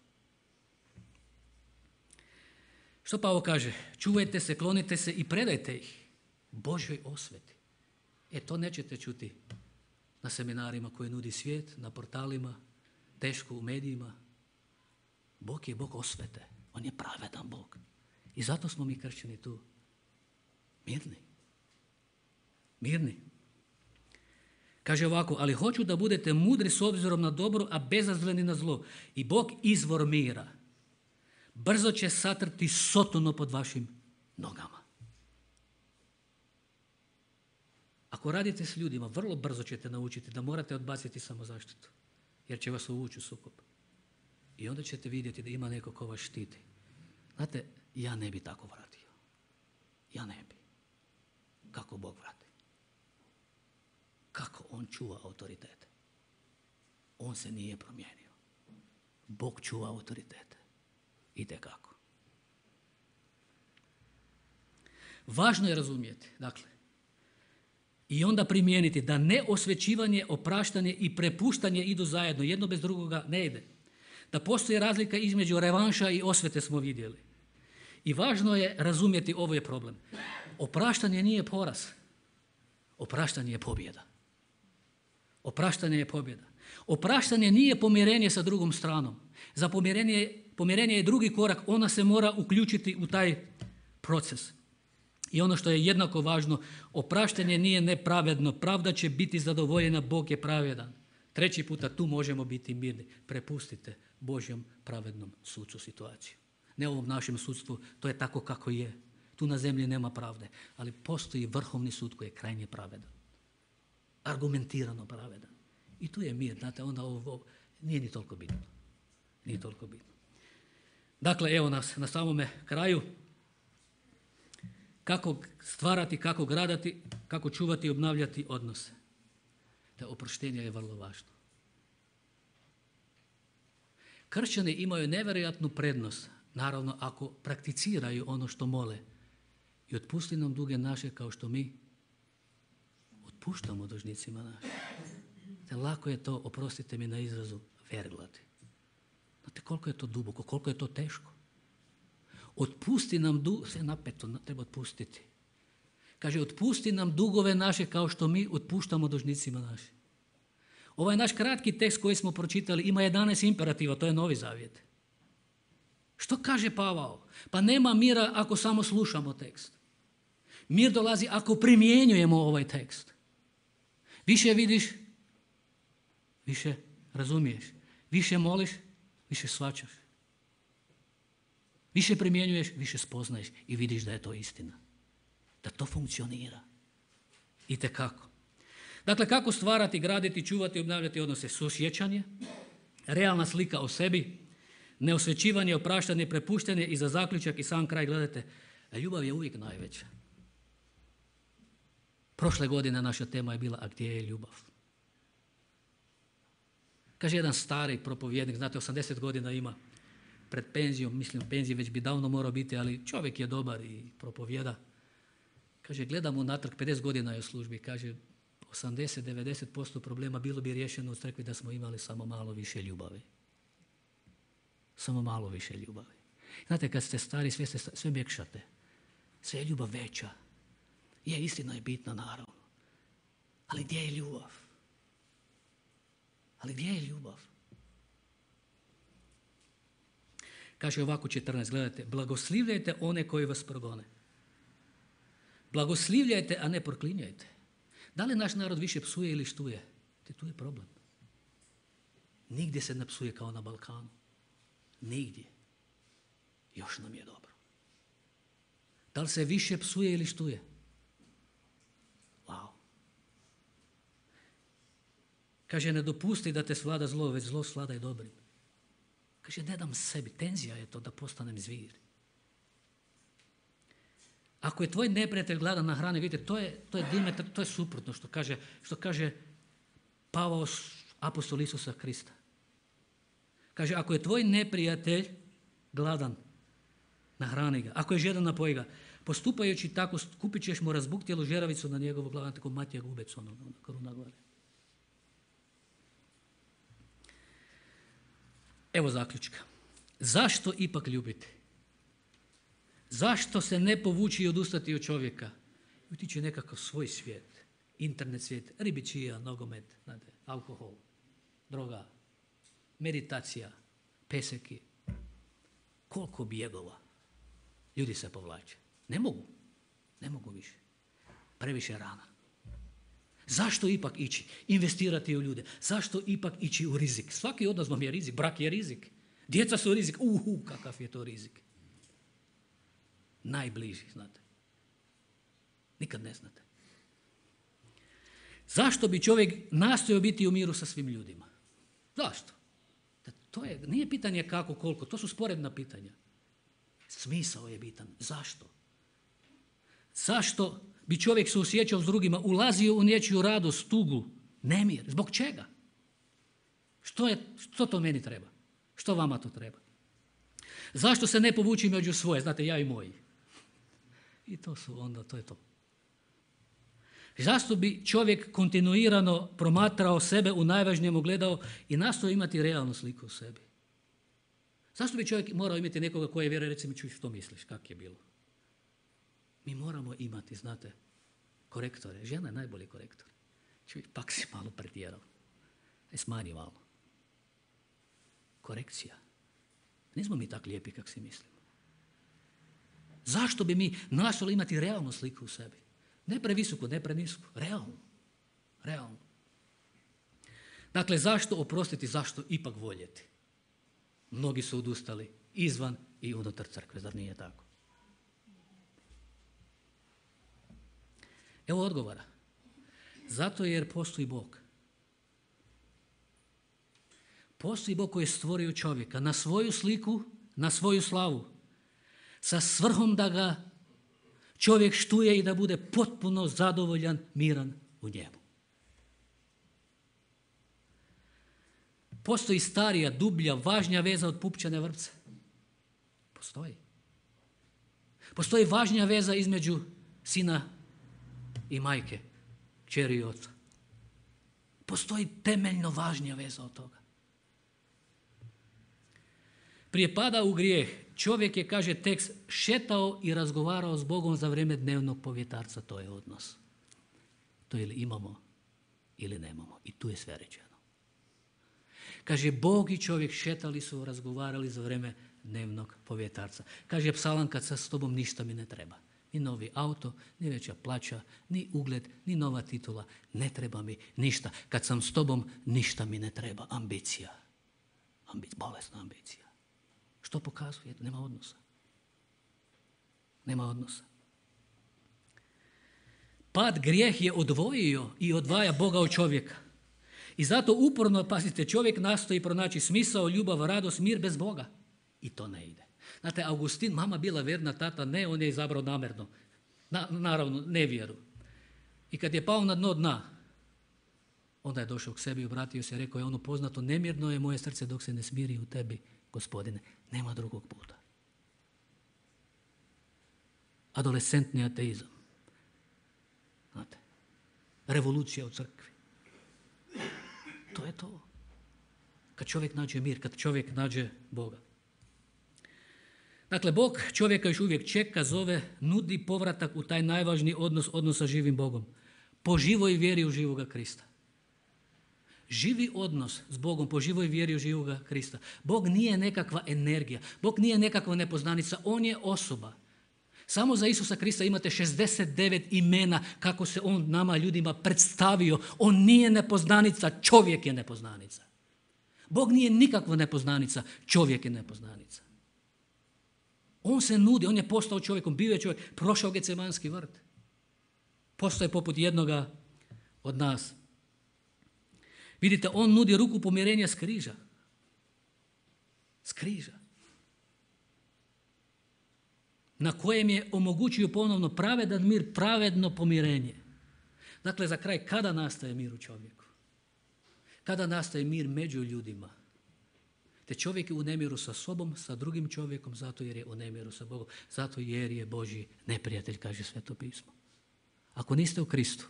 Što Pavao kaže? Čuvajte se, klonite se i predajte ih Božjoj osveti. To nećete čuti na seminarima koje nudi svijet, na portalima, teško u medijima. Bog je Bog osvete. On je pravedan Bog. I zato smo mi kršćani tu mirni. Kaže ovako, ali hoću da budete mudri s obzirom na dobro, a bezazleni na zlo. I Bog izvor mira brzo će satrti Sotonu pod vašim nogama. Ako radite s ljudima, vrlo brzo ćete naučiti da morate odbaciti samozaštitu, jer će vas uvući u sukob. I onda ćete vidjeti da ima neko ko vas štiti. Znate, ja ne bi tako vratio. Ja ne bi. Kako Bog vrati? Kako on čuva autoritete? On se nije promijenio. Bog čuva autoritete. Itekako. Važno je razumjeti, dakle, i onda primijeniti da neosvećivanje, opraštanje i prepuštanje idu zajedno. Jedno bez drugoga ne ide. Da postoji razlika između revanša i osvete smo vidjeli. I važno je razumjeti, ovo je problem. Opraštanje nije poraz. Opraštanje je pobjeda. Opraštanje je pobjeda. Opraštanje nije pomirenje sa drugom stranom. Za pomirenje je drugi korak. Ona se mora uključiti u taj proces. I ono što je jednako važno, opraštanje nije nepravedno. Pravda će biti zadovoljena, Bog je pravedan. 3. puta tu možemo biti mirni. Prepustite Božjem pravednom sucu situaciju. Ne ovom našem sudstvu, to je tako kako je. Tu na zemlji nema pravde, ali postoji vrhovni sud koji je krajnje pravedan. Argumentirano pravedan. I tu je mir, znate, onda ovo nije ni toliko bitno. Nije toliko bitno. Dakle, evo nas na samome kraju. Kako stvarati, kako gradati, kako čuvati i obnavljati odnose. Da oproštenje je vrlo važno. Kršćani imaju nevjerojatnu prednost, naravno ako prakticiraju ono što mole. I otpusti nam duge naše kao što mi otpuštamo dužnicima našim. Te lako je to, oprostite mi na izrazu, verglati. Znate koliko je to duboko, koliko je to teško. Otpusti nam sve napeto, treba otpustiti. Kaže, otpusti nam dugove naše kao što mi otpuštamo dužnicima našim. Ovaj naš kratki tekst koji smo pročitali ima 11 imperativa, to je Novi Zavjet. Što kaže Pavao? Pa nema mira ako samo slušamo tekst. Mir dolazi ako primjenjujemo ovaj tekst. Više vidiš, više razumiješ. Više moliš, više shvaćaš. Više primjenjuješ, više spoznaješ i vidiš da je to istina. Da to funkcionira. Itekako. Dakle, kako stvarati, graditi, čuvati, obnavljati odnose? Suosjećanje, realna slika o sebi, neosvećivanje, opraštanje, prepuštanje i za zaključak i sam kraj gledajte, ljubav je uvijek najveća. Prošle godine naša tema je bila, a gdje je ljubav? Kaže jedan stari propovjednik, znate, 80 godina ima, pred penzijom, mislim penzije već bi davno morao biti, ali čovjek je dobar i propovjeda. Kaže, gledamo natrag, 50 godina je u službi, kaže, 80-90% problema bilo bi riješeno u crkvi da smo imali samo malo više ljubavi. Samo malo više ljubavi. Znate, kad ste stari, sve mjekšate. Sve je ljubav veća. Je, istina je bitna, naravno. Ali gdje je ljubav? Ali gdje je ljubav? Kaže ovako 14, gledajte, blagoslivljajte one koji vas progone. Blagoslivljajte, a ne proklinjajte. Da li naš narod više psuje ili štuje? Tu je problem. Nigdje se ne psuje kao na Balkanu. Nigdje. Još nam je dobro. Da li se više psuje ili štuje? Wow. Kaže, ne dopusti da te svlada zlo, već zlo svladaj dobrim. Kaže, ne dam sebi, tenzija je to da postanem zvir. Ako je tvoj neprijatelj gladan na hrani, vidite, to je Dimetar, to je suprotno što kaže Pavao, apostol Isusa Krista. Kaže, ako je tvoj neprijatelj gladan, nahrani ga. Ako je žedan, napoji ga. Postupajući tako, kupit ćeš mu razbuktjelu žeravicu na njegovu glavu, tako Matija Gubec, kruna gore. Evo zaključka. Zašto ipak ljubiti? Zašto se ne povući i odustati od čovjeka? Utići nekakav svoj svijet, internet svijet, ribičija, nogomet, znate, alkohol, droga, meditacija, peseki. Koliko bjegova. Ljudi se povlače. Ne mogu više. Previše rana. Zašto ipak ići? Investirati u ljude. Zašto ipak ići u rizik? Svaki od nas vam je rizik. Brak je rizik. Djeca su rizik. Kakav je to rizik. Najbliži, znate. Nikad ne znate. Zašto bi čovjek nastojao biti u miru sa svim ljudima? Zašto? Nije pitanje kako, koliko. To su sporedna pitanja. Smisao je bitan. Zašto? Zašto bi čovjek se osjećao s drugima, ulazio u nečiju radost, tugu, nemir? Zbog čega? Što to meni treba? Što vama to treba? Zašto se ne povući među svoje? Znate, ja i moji. I to je to. Zašto bi čovjek kontinuirano promatrao sebe u najvažnijem ogledao i nastojao imati realnu sliku u sebi? Zašto bi čovjek morao imati nekoga koji vjeruje, recimo, čuj što misliš, kak je bilo? Mi moramo imati, znate, korektore. Žena je najbolji korektor. Čuj, pak si malo pretjerao. Smanji malo. Korekcija. Nismo mi tak lijepi kak si mislimo. Zašto bi mi nastojali imati realnu sliku u sebi? Ne previsoku, ne prenisku. Realno. Dakle, zašto oprostiti, zašto ipak voljeti? Mnogi su odustali izvan i unutar crkve, zar nije tako? Evo odgovora. Zato jer postoji Bog. Postoji Bog koji je stvorio čovjeka na svoju sliku, na svoju slavu, sa svrhom da ga čovjek štuje i da bude potpuno zadovoljan, miran u njemu. Postoji starija, dublja, važnija veza od pupčane vrpce. Postoji. Postoji važnija veza između sina i majke, kćeri i oca. Postoji temeljno važnija veza od toga. Prije pada u grijeh, čovjek je, kaže tekst, šetao i razgovarao s Bogom za vrijeme dnevnog povjetarca. To je odnos. To ili imamo ili nemamo. I tu je sve rečeno. Kaže, Bog i čovjek šetali su, razgovarali za vrijeme dnevnog povjetarca. Kaže psalam, kad sa s tobom ništa mi ne treba. Ni novi auto, ni veća plaća, ni ugled, ni nova titula. Ne treba mi ništa. Kad sam s tobom, ništa mi ne treba. Ambicija. Bolesna ambicija. Što pokazuje? Nema odnosa. Pad, grijeh je odvojio i odvaja Boga od čovjeka. I zato uporno, pazite, čovjek nastoji pronaći smisao, ljubav, radost, mir bez Boga. I to ne ide. Znate, Augustin, mama bila vjerna, tata ne, on je izabrao namjerno. Naravno, nevjeru. I kad je pao na dno dna, onda je došao k sebi, obratio se i rekao je ono poznato, nemirno je moje srce dok se ne smiri u tebi, Gospodine. Nema drugog puta. Adolescentni ateizam. Znate, revolucija u crkvi. To je to. Kad čovjek nađe mir, kad čovjek nađe Boga. Dakle, Bog čovjeka još uvijek čeka, zove, nudi povratak u taj najvažniji odnos sa živim Bogom. Po živoj vjeri u živoga Krista. Živi odnos s Bogom po živoj vjeri u živoga Krista. Bog nije nekakva energija. Bog nije nekakva nepoznanica. On je osoba. Samo za Isusa Krista imate 69 imena kako se on nama ljudima predstavio. On nije nepoznanica, čovjek je nepoznanica. Bog nije nikakva nepoznanica, čovjek je nepoznanica. On se nudi, on je postao čovjekom, bio je čovjek, prošao Getsemanski vrt. Postao je poput jednoga od nas. Vidite, on nudi ruku pomirenja s križa. S križa. Na kojem je omogućio ponovno pravedan mir, pravedno pomirenje. Dakle, za kraj, kada nastaje mir u čovjeku? Kada nastaje mir među ljudima? Te čovjek je u nemiru sa sobom, sa drugim čovjekom, zato jer je u nemiru sa Bogom. Zato jer je Božji neprijatelj, kaže Sveto pismo. Ako niste u Kristu,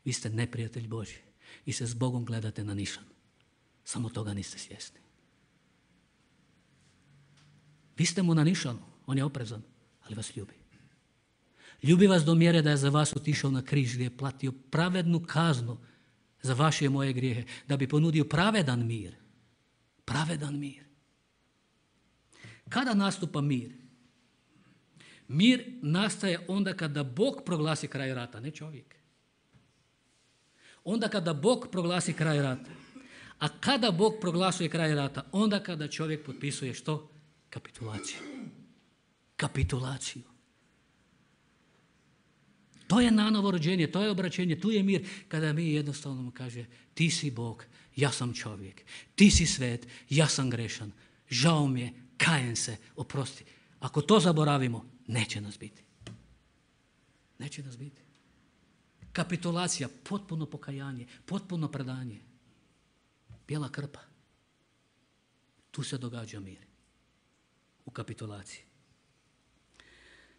vi ste neprijatelj Božji i se s Bogom gledate na nišan. Samo toga niste svjesni. Vi ste mu na nišanu, on je oprezan, ali vas ljubi. Ljubi vas do mjere da je za vas otišao na križ gdje je platio pravednu kaznu za vaše i moje grijehe, da bi ponudio pravedan mir. Pravedan mir. Kada nastupa mir? Mir nastaje onda kada Bog proglasi kraj rata, ne čovjek. Onda kada Bog proglasi kraj rata. A kada Bog proglasuje kraj rata? Onda kada čovjek potpisuje što? Kapitulaciju. Kapitulaciju. To je nanovo rođenje, to je obraćenje, tu je mir kada mi jednostavno mu kaže ti si Bog, ja sam čovjek, ti si svet, ja sam grešan, žao mi je, kajem se, oprosti. Ako to zaboravimo, neće nas biti. Neće nas biti. Kapitulacija, potpuno pokajanje, potpuno predanje. Bijela krpa. Tu se događa mir. U kapitulaciji.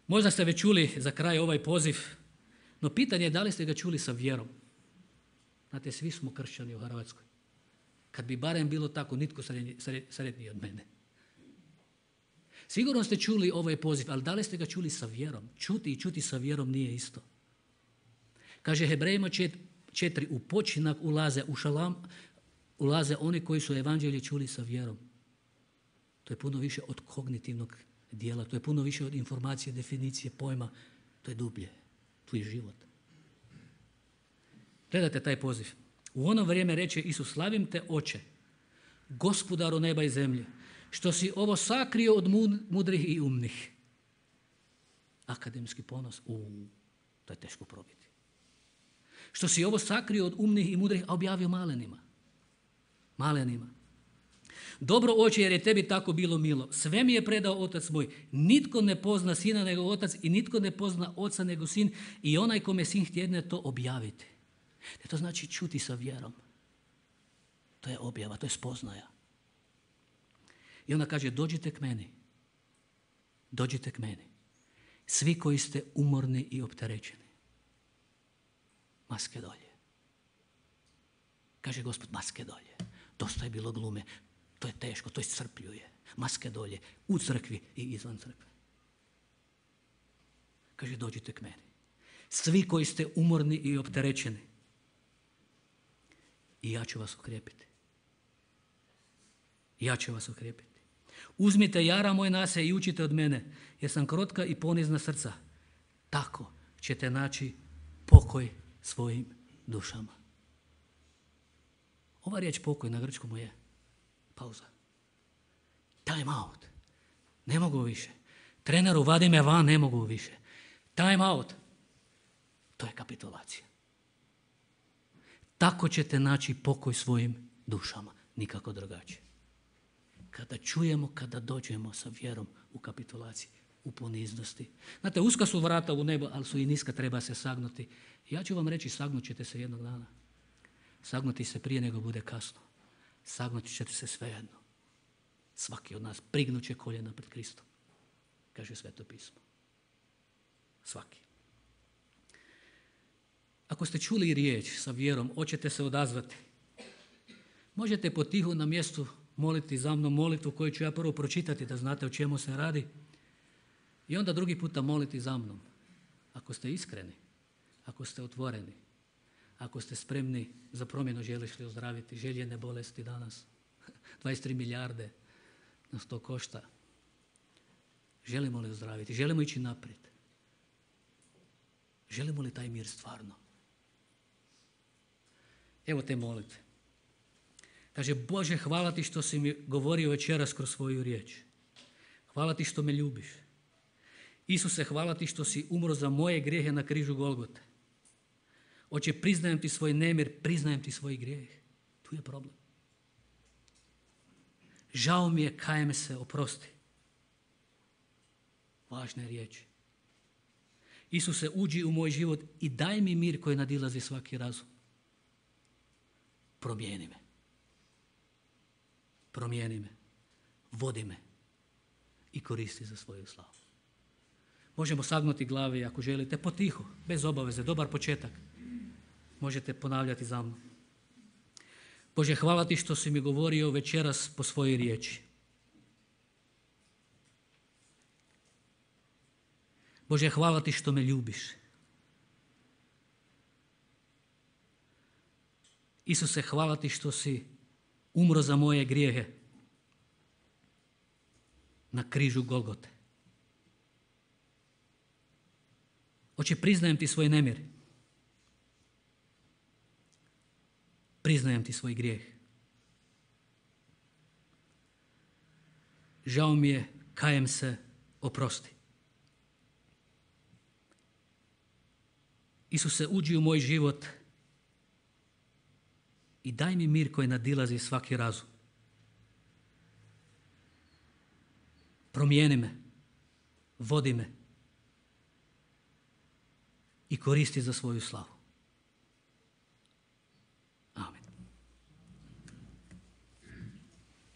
Možda ste već čuli za kraj ovaj poziv, no pitanje je da li ste ga čuli sa vjerom. Znate, svi smo kršćani u Hrvatskoj. Kad bi barem bilo tako, nitko sretniji od mene. Sigurno ste čuli ovaj poziv, ali da li ste ga čuli sa vjerom? Čuti i čuti sa vjerom nije isto. Kaže Hebrejima 4, u počinak ulaze, u šalam ulaze oni koji su evanđelje čuli sa vjerom. To je puno više od kognitivnog dijela, to je puno više od informacije, definicije, pojma, to je dublje, tu je život. Gledajte taj poziv. U ono vrijeme reče Isus, slavim te Oče, Gospodaru neba i zemlje, što si ovo sakrio od mudrih i umnih. Akademski ponos, to je teško probiti. Što si ovo sakrio od umnih i mudrih, a objavio malenima. Malenima. Dobro Oče, jer je tebi tako bilo milo. Sve mi je predao Otac moj. Nitko ne pozna Sina nego Otac i nitko ne pozna Oca nego Sin i onaj kome Sin htjedne to objaviti. To znači čuti sa vjerom. To je objava, to je spoznaja. I onda kaže, dođite k meni. Dođite k meni. Svi koji ste umorni i opterećeni. Maske dolje. Kaže Gospod, maske dolje. Dosta je bilo glume. To je teško, to iscrpljuje. Maske dolje, u crkvi i izvan crkve. Kaže, dođite k meni. Svi koji ste umorni i opterećeni. I ja ću vas okrijepiti. Ja ću vas okrijepiti. Uzmite jara moj na se i učite od mene, jer sam krotka i ponizna srca. Tako ćete naći pokoj svojim dušama. Ova riječ pokoj na grčkom je pauza. Time out. Ne mogu više. Treneru, vadi me van, ne mogu više. Time out. To je kapitulacija. Tako ćete naći pokoj svojim dušama. Nikako drugačije. Kada čujemo, kada dođemo sa vjerom u kapitulaciji, u poniznosti. Znate, uska su vrata u nebo, ali su i niska, treba se sagnuti. Ja ću vam reći, sagnut ćete se jednog dana. Sagnuti se prije nego bude kasno. Sagnuti ćete se svejedno. Svaki od nas prignut će koljena pred Kristom. Kaže Sveto pismo. Svaki. Ako ste čuli riječ sa vjerom, hoćete se odazvati. Možete potihu na mjestu moliti za mnom molitvu koju ću ja prvo pročitati da znate o čemu se radi. I onda drugi puta moliti za mnom. Ako ste iskreni, ako ste otvoreni, ako ste spremni za promjenu, želiš li ozdraviti željene bolesti danas. 23 milijarde nas to košta. Želimo li ozdraviti? Želimo ići naprijed? Želimo li taj mir stvarno? Evo te molitve. Kaže, Bože, hvala ti što si mi govorio večeras kroz svoju riječ. Hvala ti što me ljubiš. Isuse, hvala ti što si umro za moje grijehe na križu Golgote. Oče, priznajem ti svoj nemir, priznajem ti svoj grijeh. Tu je problem. Žao mi je, kajem se, oprosti. Važne riječi. Isuse, uđi u moj život i daj mi mir koji nadilazi svaki razum. Promijeni me. Promijeni me. vodi me i koristi za svoju slavu. Možemo sagnuti glave ako želite, potiho, bez obaveze, dobar početak. Možete ponavljati za mnom. Bože, hvala ti što si mi govorio večeras po svojoj riječi. Bože, hvala ti što me ljubiš. Isuse, hvala ti što si umro za moje grijehe na križu Golgote. Oče, priznajem ti svoj nemir. Priznajem ti svoj grijeh. Žao mi je, kajem se, oprosti. Isuse, uđi u moj život i daj mi mir koji nadilazi svaki razum. Promijeni me, vodi me i koristi za svoju slavu.